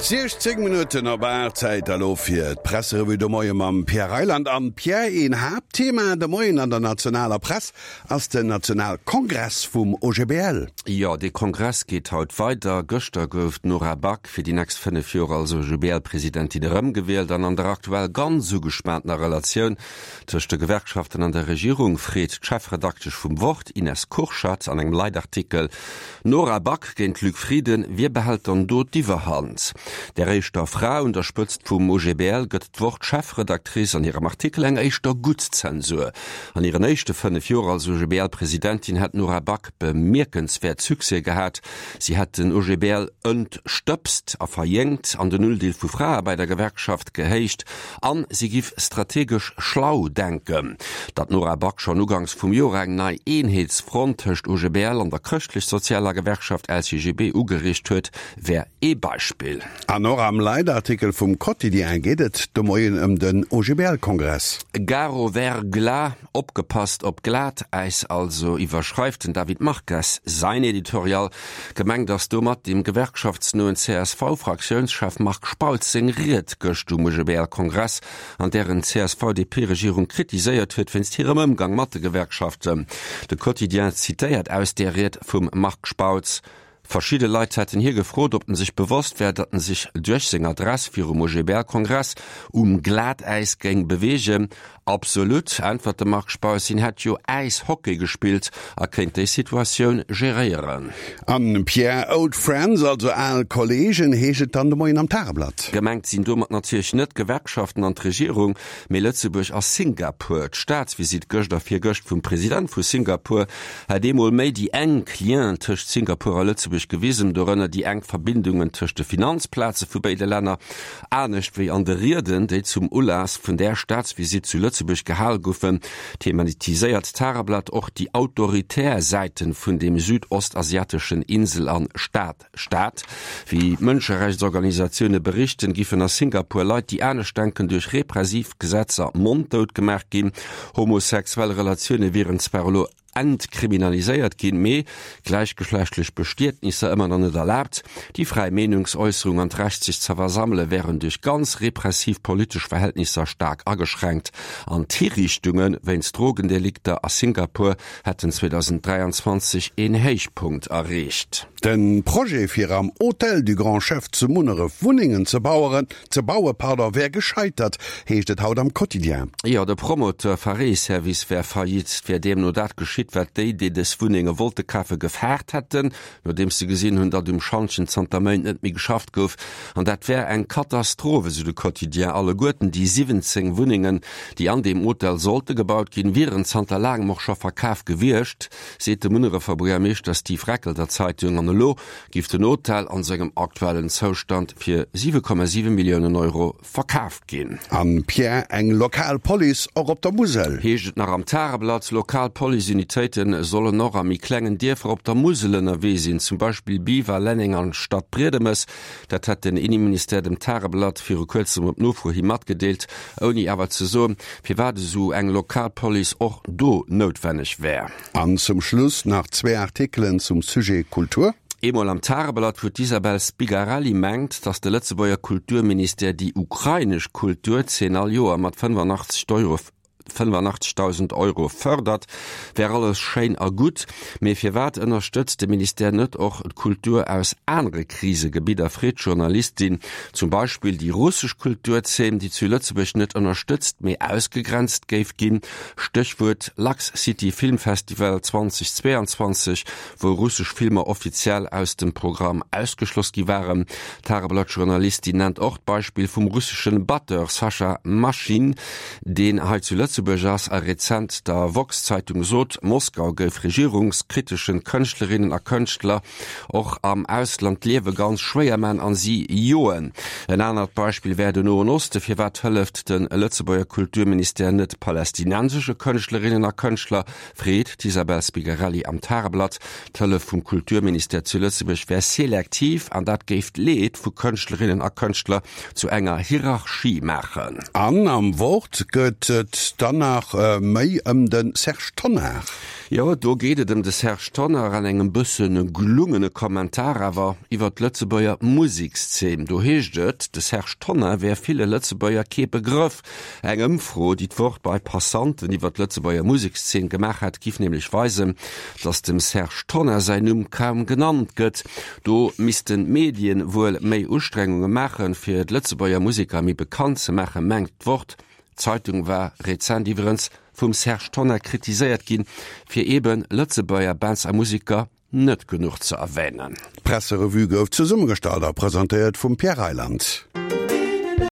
16 Minutten op 8, Zäit elo fir d'Presserevue de Moie mam Pierre Reyland. An Pierre, een Haaptthema de Moien an der nationaler Press ass den Nationalkongress vum OGBL. Jo, dee Kongress geet haut weider. Gëschter gouf d'Nora Back fir déi nächst 5 Joer als OGBL-Presidentin erëmgewielt an an der aktuell ganz ugespaantener Relatioun Tëscht de Gewerkschaften an der Regierung freet d'Chefredaktesch vum Wort, Ines Kurschat, an engem Leitartikel, Nora Back géint Luc Frieden, wie behält dann do d'Iwwerhand? Der éischter Fra un der Spëtzt vum OGBL gëtt d'Wort-Chefredactrice an hirem Artikel eng éischter gutt Zensur. An hiren éischte 5 Joer als OGBL-Presidentin hätt d'Nora Back bemierkenswäert Succès gehat. Si hätt den OGBL entstëbst a verjéngt an den Undeel vu Frae bei der Gewerkschaft gehéicht an si giff strategesch schlau denken. Datt d'Nora Back schonn uganks vum Joer eng nei Eenheetsfront tëscht OGBL an der chrëschtlech-sozialer Gewerkschaft LCGB ugeriicht huet, wär ee Beispill. An och am Leitartikel vum Quotidien geet et de Moien ëm den OGBL-Kongress. Gare au verglas, Opgepasst op Glatäis also, iwwerschreift den David Marques säin Editorial. Gemengt ass domat dem gewerkschaftsnoen CSV-Fraktiounschef Marc Spautz seng Ried gëscht um OGBL-Kongress, an där en d'CSV-DP-Regierung kritiséiert huet wéinst hirem Ëmgang mat de Gewerkschaften. De Quotidien zitéiert aus där Ried vum Marc Spautz, Verschidde Leit hätten hie gefrot, ob en sech bewosst wär, datt en sech duerch seng Adress virum OGBL-Kongress um Glatäis géing beweegen. Absolut, äntwert de Marc Spautz, hien hätt jo Äishockey gespillt a kéint déi Situatioun geréieren. An Pierre, Old Friends, also al Kolleegen, heescht et dann de Moien am Tageblatt. Gemengt sinn domat natierlech net d'Gewerkschaften an d'Regierung, mee Lëtzebuerg a Singapur. D'Staatsvisitt gëscht a virgëscht vum President vu Singapur hätt eemol méi déi enk Lienen tëscht Singapur a Lëtzebuerg gewisen, dorënner déi enk Verbindungen tëscht de Finanzplaze vu béide Länner. Anescht wéi an de Rieden, déi zum Ulass vun där Staatsvisitt zu Lëtzebuerg gehal goufen, thematiséiert d'Tageblatt och déi autoritär Säiten vun deem südostasiateschen Insel an Staat. Staat. Wéi Mënscherechtsorganisatioune berichten, giffen a Singapur Leit, déi anescht denken, duerch repressiv Gesetzer monddout gemaach ginn. Homosexuell Relatioune wieren zwar elo entkriminaliséiert ginn, mee gläichgeschlechtlech Bestietnisser ëmmer nach net erlaabt. Déi fräi Meenungsäusserung an d'Recht sech ze versammele wären duerch ganz repressiv politesch Verhältnisser staark ageschränkt an d'Hiriichtunge wéinst Drogendelikter a Singapur hätten 2023 een Héichpunkt erreecht. De Projet fir am Hôtel du Grand Chef zu Munneref Wunnengen ze baueren, ze baue pardon, wär gescheitert, heescht et haut am Quotidien. Jo, de Promoteur Faré-Service wär faillite. Et wär deemno dat geschitt, wat déi, déi dës Wunnenge wollte kafen, gefaart hätten, nodeems se gesinn hunn, datt um Schantjen zanter Méint net méi geschafft gouf. An dat wär eng Katastroph, esou de Quotidien. Alleguerten déi 17 Wunnengen, déi an deem Hotel sollte gebaut ginn, wieren zanter laangem och scho verkaf gewiescht, seet de Munnerefer Buergermeeschter Steve Reckel der Zeitung. An elo giff den Hotel an sengem aktuellen Zoustand fir 7,7 Milliounen Euro verkaaft ginn. An Pierre, eng lokal Police och op der Musel? Heescht et nach am Tageblatt. Lokal Policeunitéite sollen och a méi klengen Dierfer op der Musel ënnerwee sinn, zum Beispill Biwer, Lenneng an Stadbriedemes. Dat hätt den Inneministère dem Tageblatt viru kuerzem op Nofro hi matgedeelt, ouni awer ze soen, firwat esou eng lokal Police och do noutwenneg wär. An zum Schluss nach zwee Artikelen zum Sujet Kultur. Eemol am Tageblatt, wou d'Isabel Spigarelli mengt, datt de Lëtzebuerger Kulturministère déi ukrainesch Kulturzeen all Joer mat 85 Euro 85.000 Euro fërdert, wär alles schéin a gutt, mee firwat ënnerstëtzt de Ministère net och d'Kultur aus anere Krisegebidder, freet d'Journalistin. Zum Beispill déi russesch Kulturzeen, déi zu Lëtzebuerg net ënnerstëtzt, mee ausgegrenzt géif ginn, Stéchwuert Lux City Film Festival 2022, wou russesch Filmer offiziell aus dem Programm ausgeschloss gi waren. D'Tageblatt-Journalistin nennt och d'Beispill vum russeschen Batteur Sascha Maschin, deen hei zu Lëtzebuerg ass a rezent der Woxx-Zeitung sot, Moskau géif regierungskriteschen Kënschtlerinnen a Kënschtler och am Ausland d'Liewe ganz schwéier man an si joen. En anert Beispill wär den Noen Osten. Firwat hëlleft de Lëtzebuerger Kulturministère net palästinensesche Kënschtlerinnen a Kënschtler, freet d'Isabel Spigarelli am Tageblatt. D'Hëllef vum Kulturministère zu Lëtzebuerg wär selektiv an dat géif d'Leed vu Kënschtlerinnen a Kënschtler zu enger Hierarchie maachen. An am Wort gëtt et. Dann nach méi ëm de Serge Tonnar. Jo, do geet et ëm de Serge Tonnar an engem bësse gelungene Kommentar awer iwwer d'Lëtzebuerger Musekszeen. Do heescht et, de Serge Tonnar wär ville Lëtzebuerger kee Begrëff. Eng Ëmfro, déi d'Wort bei Passanten iwwer d'Lëtzebuerger Musekszeen gemaach hätt, giff nämlech weisen, datt dem Serge Tonnar säin Numm kaum genannt gëtt. Do missten d'Medien wuel méi Ustrengunge maachen, fir d'Lëtzebuerger Museker méi bekannt ze maachen, mengt d'Wort. D'Zeitung war rezent iwwerens vum Serge Tonnar kritiséiert ginn, fir eebe Lëtzebuerger Bands a Museker net genuch ze erwänen. D'Presserevue gouf zesummegestallt a presentéiert vum Pierre Reyland.